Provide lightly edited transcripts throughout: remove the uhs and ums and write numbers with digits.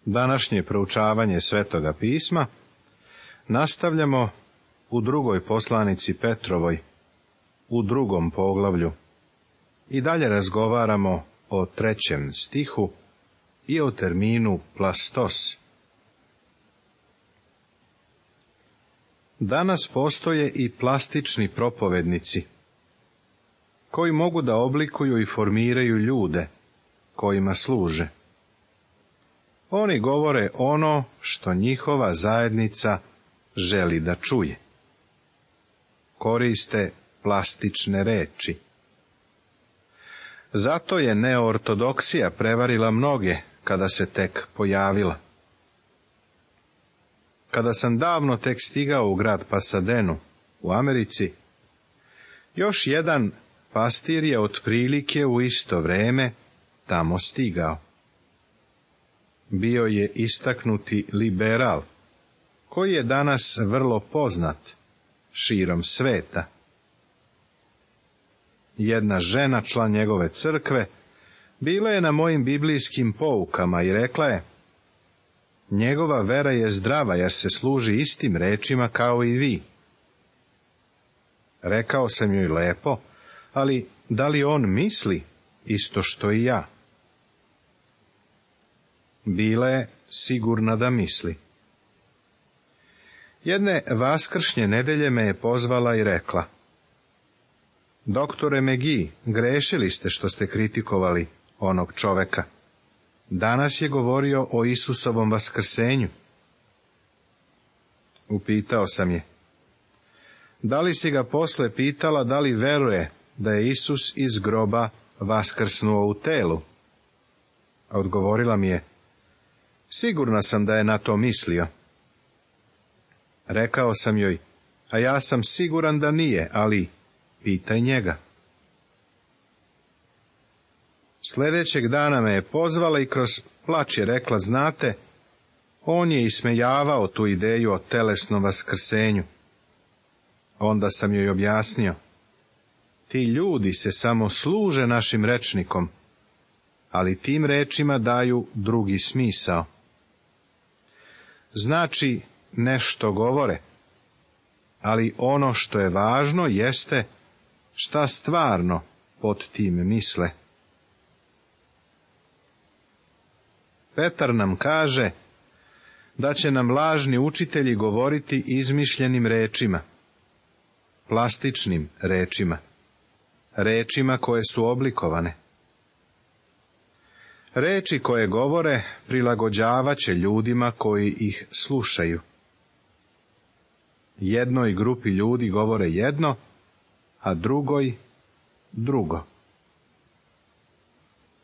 Današnje proučavanje Svetoga pisma nastavljamo u drugoj poslanici Petrovoj, u 2. poglavlju, i dalje razgovaramo o 3. stihu i o terminu plastos. Danas postoje i plastični propovednici, koji mogu da oblikuju i formiraju ljude kojima služe. Oni govore ono što njihova zajednica želi da čuje. Koriste plastične reči. Zato je neortodoksija prevarila mnoge kada se tek pojavila. Kada sam davno tek stigao u grad Pasadenu u Americi, još jedan pastir je otprilike u isto vreme tamo stigao. Bio je istaknuti liberal, koji je danas vrlo poznat širom sveta. Jedna žena, član njegove crkve, bila je na mojim biblijskim poukama i rekla je: njegova vera je zdrava jer se služi istim rečima kao i vi. Rekao sam joj: lepo, ali da li on misli isto što i ja? Bila je sigurna da misli. Jedne vaskršnje nedelje me je pozvala i rekla: doktore McGee, grešili ste što ste kritikovali onog čoveka. Danas je govorio o Isusovom vaskrsenju. Upitao sam je: da li si ga posle pitala da li veruje da je Isus iz groba vaskrsnuo u telu? A odgovorila mi je: sigurna sam da je na to mislio. Rekao sam joj: a ja sam siguran da nije, ali pitaj njega. Sljedećeg dana me je pozvala i kroz plač je rekla: znate, on je ismejavao tu ideju o telesnom vaskrsenju. Onda sam joj objasnio: ti ljudi se samo služe našim rečnikom, ali tim rečima daju drugi smisao. Znači, nešto govore, ali ono što je važno jeste šta stvarno pod tim misle. Petar nam kaže da će nam lažni učitelji govoriti izmišljenim rečima, plastičnim rečima, rečima koje su oblikovane. Reči koje govore prilagođavat će ljudima koji ih slušaju. Jednoj grupi ljudi govore jedno, a drugoj drugo.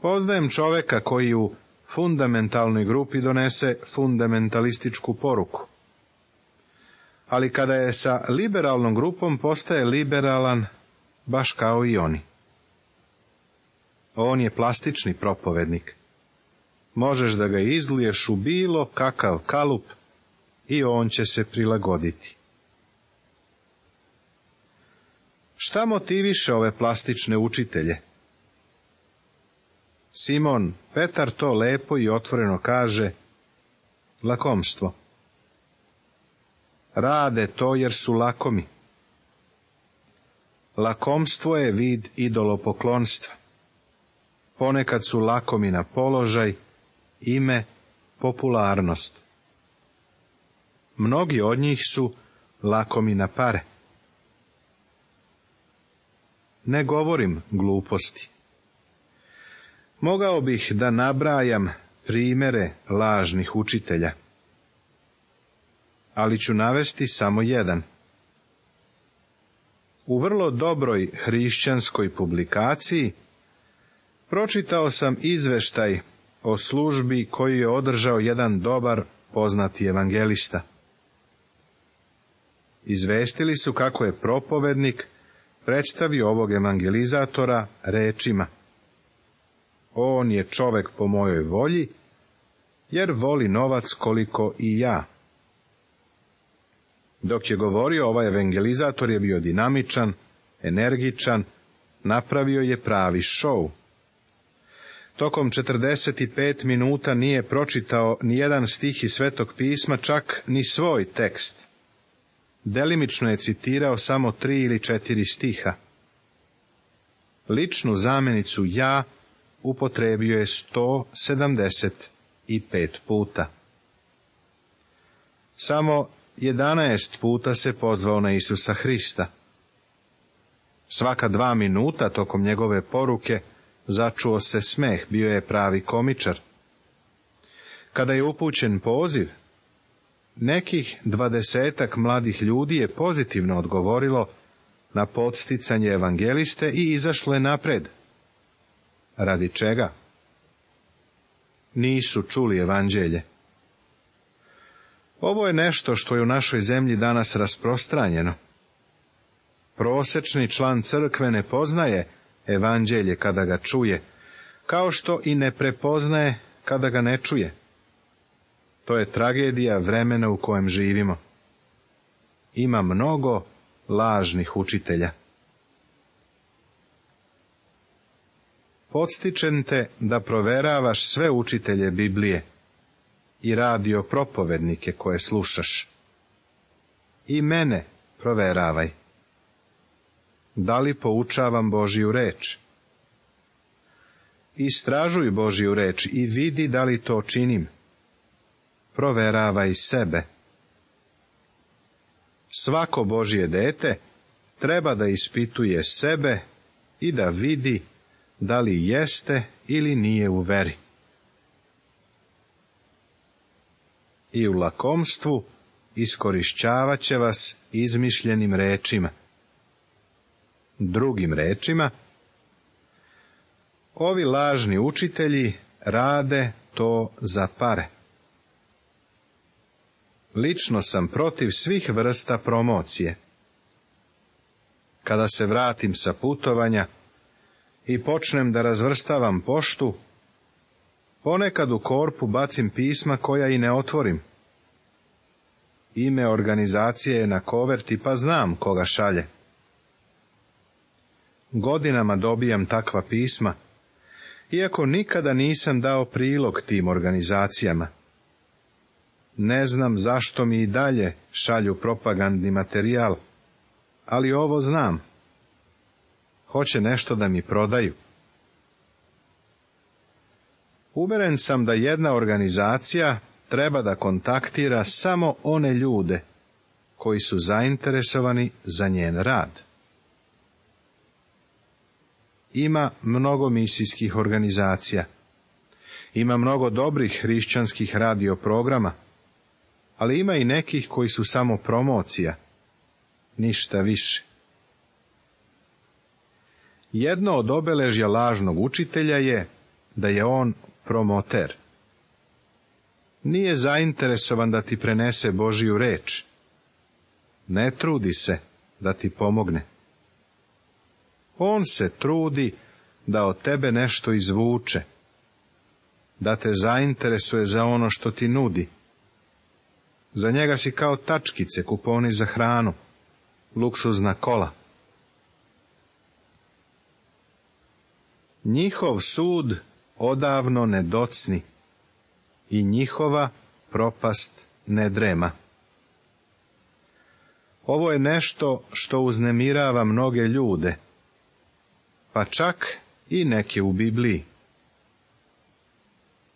Poznajem čoveka koji u fundamentalnoj grupi donese fundamentalističku poruku. Ali kada je sa liberalnom grupom, postaje liberalan baš kao i oni. On je plastični propovednik. Možeš da ga izliješ u bilo kakav kalup i on će se prilagoditi. Šta motiviše ove plastične učitelje? Simon Petar to lepo i otvoreno kaže: lakomstvo. Rade to jer su lakomi. Lakomstvo je vid idolopoklonstva. Ponekad su lakomi na položaj, ime, popularnost. Mnogi od njih su lakomi na pare. Ne govorim gluposti. Mogao bih da nabrajam primere lažnih učitelja, ali ću navesti samo jedan. U vrlo dobroj hrišćanskoj publikaciji pročitao sam izveštaj o službi koju je održao jedan dobar poznati evangelista. Izvestili su kako je propovednik predstavio ovog evangelizatora rečima: on je čovek po mojoj volji, jer voli novac koliko i ja. Dok je govorio, ovaj evangelizator je bio dinamičan, energičan, napravio je pravi šou. Tokom 45 minuta nije pročitao ni jedan stih iz Svetog pisma, čak ni svoj tekst. Delimično je citirao samo 3 ili 4 stiha. Ličnu zamjenicu ja upotrebio je 175 puta. Samo 11 puta se pozvao na Isusa Hrista. Svaka 2 minuta tokom njegove poruke začuo se smeh, bio je pravi komičar. Kada je upućen poziv, nekih 20 mladih ljudi je pozitivno odgovorilo na podsticanje evangeliste i izašlo je napred. Radi čega? Nisu čuli evanđelje. Ovo je nešto što je u našoj zemlji danas rasprostranjeno. Prosečni član crkve ne poznaje evanđelje kada ga čuje, kao što i ne prepoznaje kada ga ne čuje. To je tragedija vremena u kojem živimo. Ima mnogo lažnih učitelja. Podstičem te da proveravaš sve učitelje Biblije i radio propovednike koje slušaš. I mene proveravaj. Da li poučavam Božju reč? Istražuj Božju reč i vidi da li to činim. Proveravaj sebe. Svako Božje dete treba da ispituje sebe i da vidi da li jeste ili nije u veri. I u lakomstvu iskorišćavat će vas izmišljenim rečima. Drugim rečima, ovi lažni učitelji rade to za pare. Lično sam protiv svih vrsta promocije. Kada se vratim sa putovanja i počnem da razvrstavam poštu, ponekad u korpu bacim pisma koja i ne otvorim. Ime organizacije je na koverti, pa znam koga šalje. Godinama dobijam takva pisma, iako nikada nisam dao prilog tim organizacijama. Ne znam zašto mi i dalje šalju propagandni materijal, ali ovo znam. Hoće nešto da mi prodaju. Uveren sam da jedna organizacija treba da kontaktira samo one ljude koji su zainteresovani za njen rad. Ima mnogo misijskih organizacija. Ima mnogo dobrih hrišćanskih radio programa, ali ima i nekih koji su samo promocija, ništa više. Jedno od obeležja lažnog učitelja je da je on promoter. Nije zainteresovan da ti prenese Božju reč. Ne trudi se da ti pomogne. On se trudi da od tebe nešto izvuče, da te zainteresuje za ono što ti nudi. Za njega si kao tačkice, kuponi za hranu, luksuzna kola. Njihov sud odavno ne docni i njihova propast ne drema. Ovo je nešto što uznemirava mnoge ljude, pa čak i neke u Bibliji.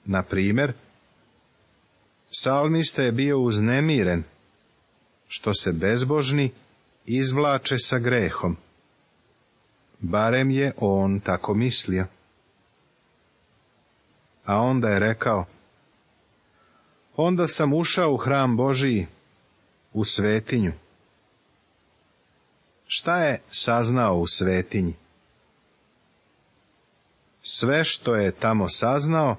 Na primjer, psalmista je bio uznemiren što se bezbožni izvlače sa grehom. Barem je on tako mislio. A onda je rekao, onda sam ušao u hram Božiji, u svetinju. Šta je saznao u svetinji? Sve što je tamo saznao,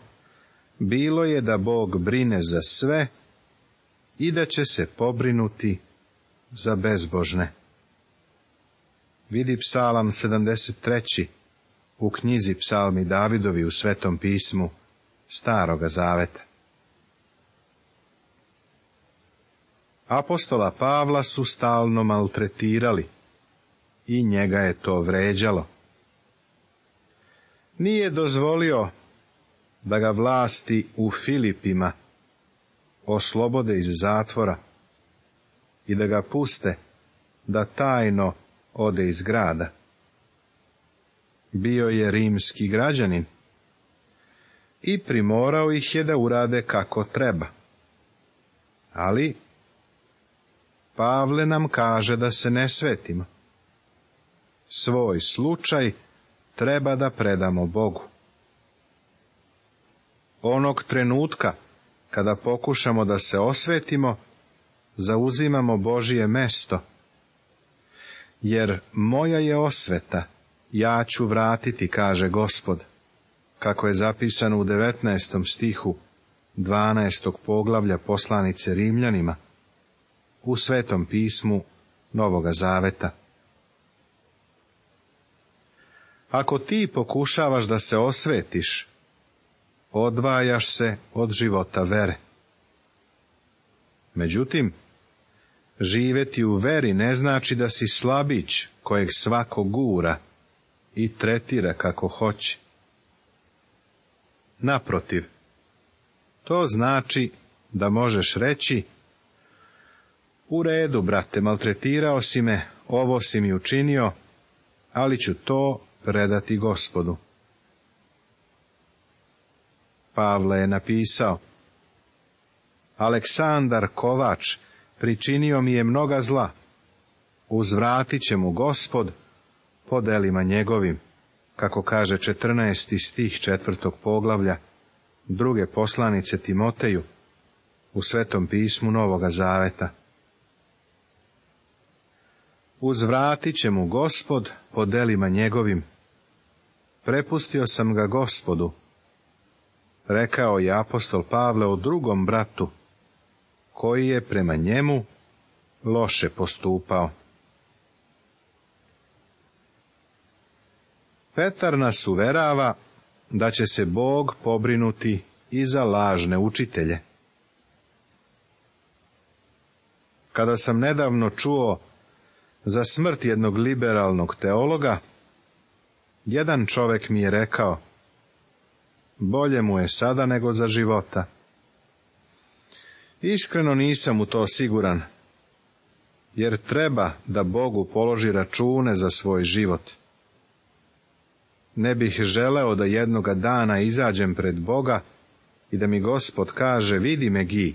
bilo je da Bog brine za sve i da će se pobrinuti za bezbožne. Vidi Psalam 73. u knjizi Psalmi Davidovi u Svetom pismu Staroga zaveta. Apostola Pavla su stalno maltretirali i njega je to vređalo. Nije dozvolio da ga vlasti u Filipima oslobode iz zatvora i da ga puste da tajno ode iz grada. Bio je rimski građanin i primorao ih je da urade kako treba. Ali Pavle nam kaže da se ne svetimo. Svoj slučaj treba da predamo Bogu. Onog trenutka kada pokušamo da se osvetimo, zauzimamo Božije mesto, jer moja je osveta, ja ću vratiti, kaže Gospod, kako je zapisano u 19. stihu 12. poglavlja poslanice Rimljanima, u Svetom pismu Novoga Zaveta. Ako ti pokušavaš da se osvetiš, odvajaš se od života vere. Međutim, živjeti u veri ne znači da si slabić kojeg svako gura i tretira kako hoće. Naprotiv, to znači da možeš reći: u redu, brate, maltretirao si me, ovo si mi učinio, ali ću to predati Gospodu. Pavle je napisao: Aleksandar Kovač pričinio mi je mnoga zla, uzvratit će mu Gospod po delima njegovim, kako kaže 14. stih 4. poglavlja druge poslanice Timoteju u Svetom pismu Novoga Zaveta. Uzvratit će mu Gospod po delima njegovim. Prepustio sam ga Gospodu, rekao je apostol Pavle o drugom bratu, koji je prema njemu loše postupao. Petar nas uverava da će se Bog pobrinuti i za lažne učitelje. Kada sam nedavno čuo za smrt jednog liberalnog teologa, jedan čovjek mi je rekao: bolje mu je sada nego za života. Iskreno nisam u to siguran, jer treba da Bogu položi račune za svoj život. Ne bih želeo da jednoga dana izađem pred Boga i da mi Gospod kaže: vidi me, Gi,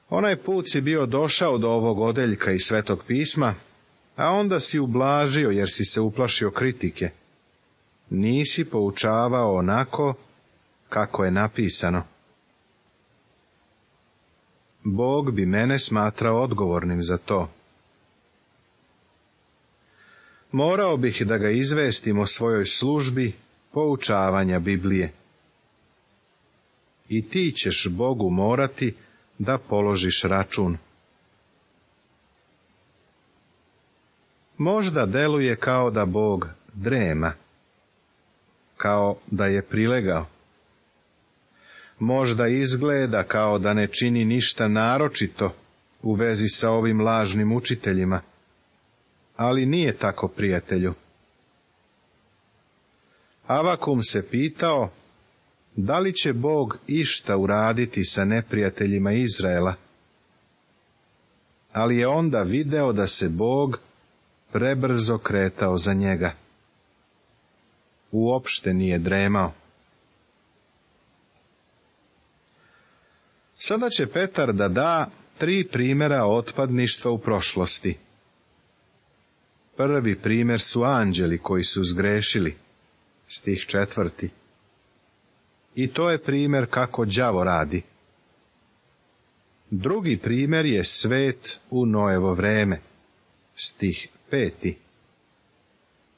onaj put si bio došao do ovog odeljka iz Svetog pisma, a onda si ublažio jer si se uplašio kritike. Nisi poučavao onako kako je napisano. Bog bi mene smatrao odgovornim za to. Morao bih da ga izvestim o svojoj službi poučavanja Biblije. I ti ćeš Bogu morati da položiš račun. Možda deluje kao da Bog drema, kao da je prilegao. Možda izgleda kao da ne čini ništa naročito u vezi sa ovim lažnim učiteljima, ali nije tako, prijatelju. Avakum se pitao da li će Bog išta uraditi sa neprijateljima Izraela, ali je onda video da se Bog prebrzo kretao za njega. Uopšte nije dremao. Sada će Petar da da 3 primjera otpadništva u prošlosti. Prvi primjer su anđeli koji su zgrešili, stih 4. I to je primjer kako đavo radi. Drugi primjer je svet u Noevo vreme, stih 5.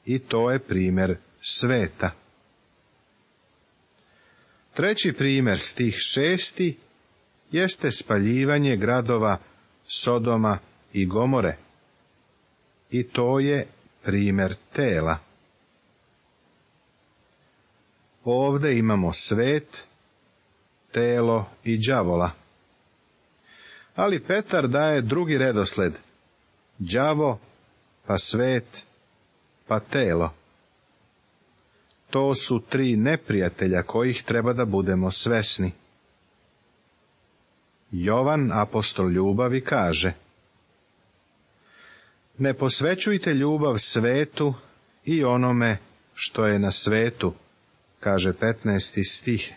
I to je primjer sveta. Treći primjer, stih 6. jeste spaljivanje gradova Sodoma i Gomore. I to je primjer tela. Ovdje imamo svet, telo i đavola. Ali Petar daje drugi redosled: đavo, pa svet, pa telo. To su 3 neprijatelja kojih treba da budemo svesni. Jovan, apostol ljubavi, kaže: ne posvećujte ljubav svetu i onome što je na svetu, kaže 15. stih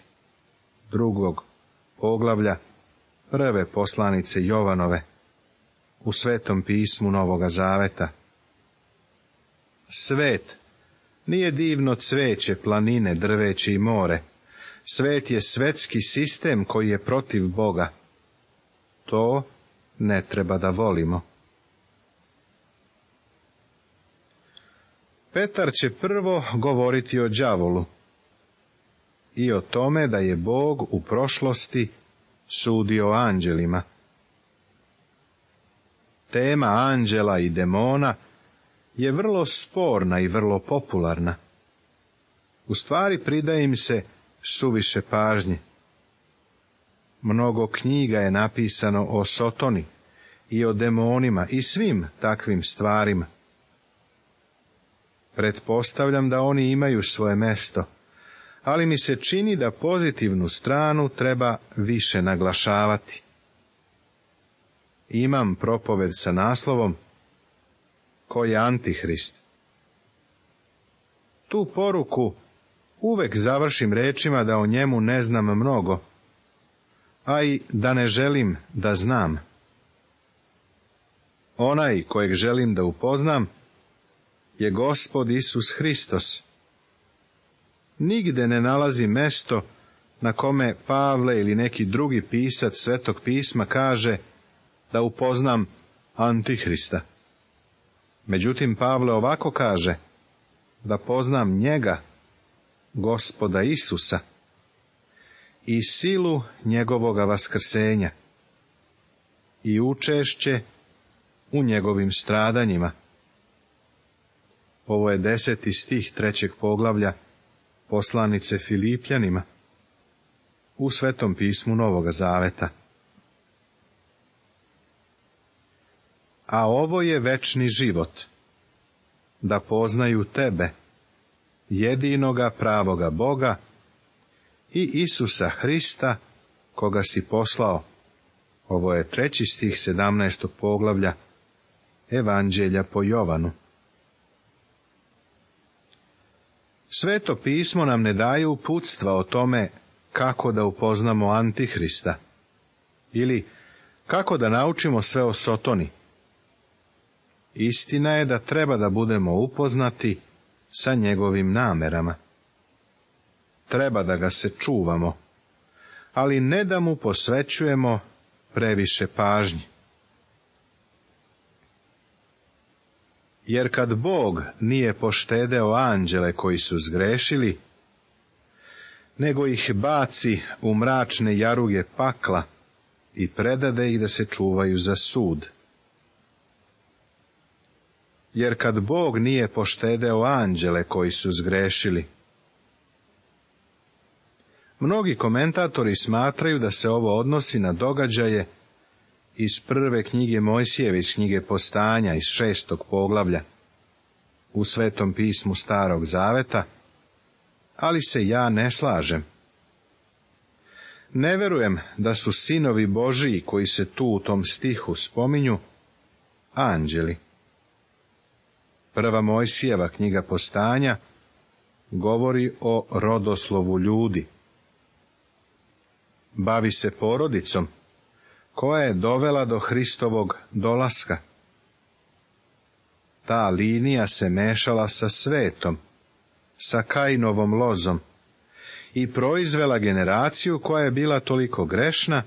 2. poglavlja 1. poslanice Jovanove u Svetom pismu Novoga Zaveta. Svet nije divno cveće, planine, drveće i more. Svet je svetski sistem koji je protiv Boga. To ne treba da volimo. Petar će prvo govoriti o đavolu i o tome da je Bog u prošlosti sudio anđelima. Tema anđela i demona je vrlo sporna i vrlo popularna. U stvari pridaje im se suviše pažnje. Mnogo knjiga je napisano o Sotoni i o demonima i svim takvim stvarima. Pretpostavljam da oni imaju svoje mesto, ali mi se čini da pozitivnu stranu treba više naglašavati. Imam propoved sa naslovom Ko je Antihrist. Tu poruku uvek završim rečima da o njemu ne znam mnogo, a i da ne želim da znam. Onaj kojeg želim da upoznam je Gospod Isus Hristos. Nigde ne nalazi mesto na kome Pavle ili neki drugi pisac Svetog pisma kaže da upoznam Antihrista. Međutim, Pavle ovako kaže: da poznam njega, Gospoda Isusa, i silu njegovoga vaskrsenja, i učešće u njegovim stradanjima. Ovo je 10. stih 3. poglavlja poslanice Filipljanima u Svetom pismu Novoga Zaveta. A ovo je večni život, da poznaju tebe, jedinoga pravoga Boga, i Isusa Hrista, koga si poslao. Ovo je 3. stih 17. poglavlja Evanđelja po Jovanu. Sveto pismo nam ne daje uputstva o tome kako da upoznamo Antihrista, ili kako da naučimo sve o Sotoni. Istina je da treba da budemo upoznati sa njegovim namerama. Treba da ga se čuvamo, ali ne da mu posvećujemo previše pažnje. Jer kad Bog nije poštedeo anđele koji su zgrešili, nego ih baci u mračne jaruge pakla i predade ih da se čuvaju za sud. Jer kad Bog nije poštedeo anđele koji su zgrešili. Mnogi komentatori smatraju da se ovo odnosi na događaje iz prve knjige Mojsijeve, iz knjige Postanja, iz 6. poglavlja, u Svetom pismu Starog Zaveta, ali se ja ne slažem. Ne verujem da su sinovi Božiji koji se tu u tom stihu spominju anđeli. Prva Mojsijeva knjiga Postanja govori o rodoslovu ljudi. Bavi se porodicom koja je dovela do Hristovog dolaska. Ta linija se mešala sa svetom, sa Kainovom lozom i proizvela generaciju koja je bila toliko grešna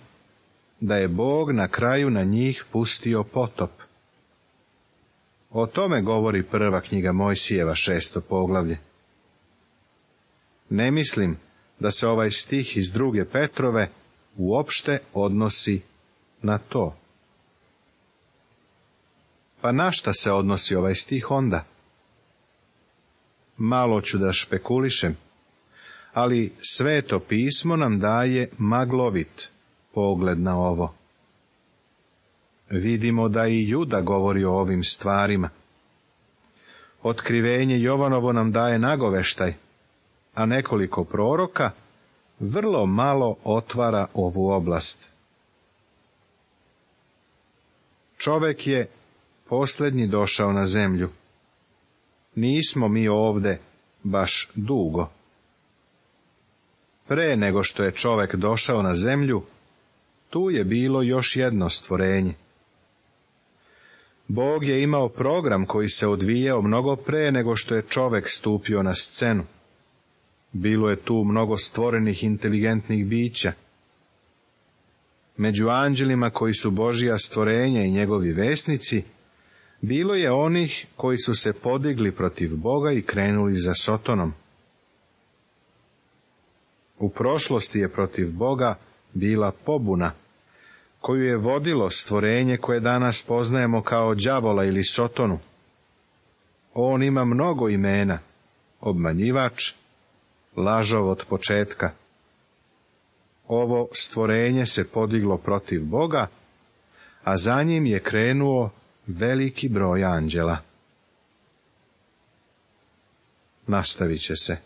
da je Bog na kraju na njih pustio potop. O tome govori prva knjiga Mojsijeva, 6. poglavlje. Ne mislim da se ovaj stih iz 2. Petrove uopšte odnosi na to. Pa na šta se odnosi ovaj stih onda? Malo ću da špekulišem, ali Sveto pismo nam daje maglovit pogled na ovo. Vidimo da i Juda govori o ovim stvarima. Otkrivenje Jovanovo nam daje nagoveštaj, a nekoliko proroka, vrlo malo otvara ovu oblast. Čovek je posljednji došao na zemlju. Nismo mi ovde baš dugo. Pre nego što je čovek došao na zemlju, tu je bilo još jedno stvorenje. Bog je imao program koji se odvijao mnogo pre nego što je čovek stupio na scenu. Bilo je tu mnogo stvorenih inteligentnih bića. Među anđelima koji su Božja stvorenja i njegovi vesnici, bilo je onih koji su se podigli protiv Boga i krenuli za Sotonom. U prošlosti je protiv Boga bila pobuna, koju je vodilo stvorenje koje danas poznajemo kao đavola ili Sotonu. On ima mnogo imena: obmanjivač, lažov od početka. Ovo stvorenje se podiglo protiv Boga, a za njim je krenuo veliki broj anđela. Nastavit će se.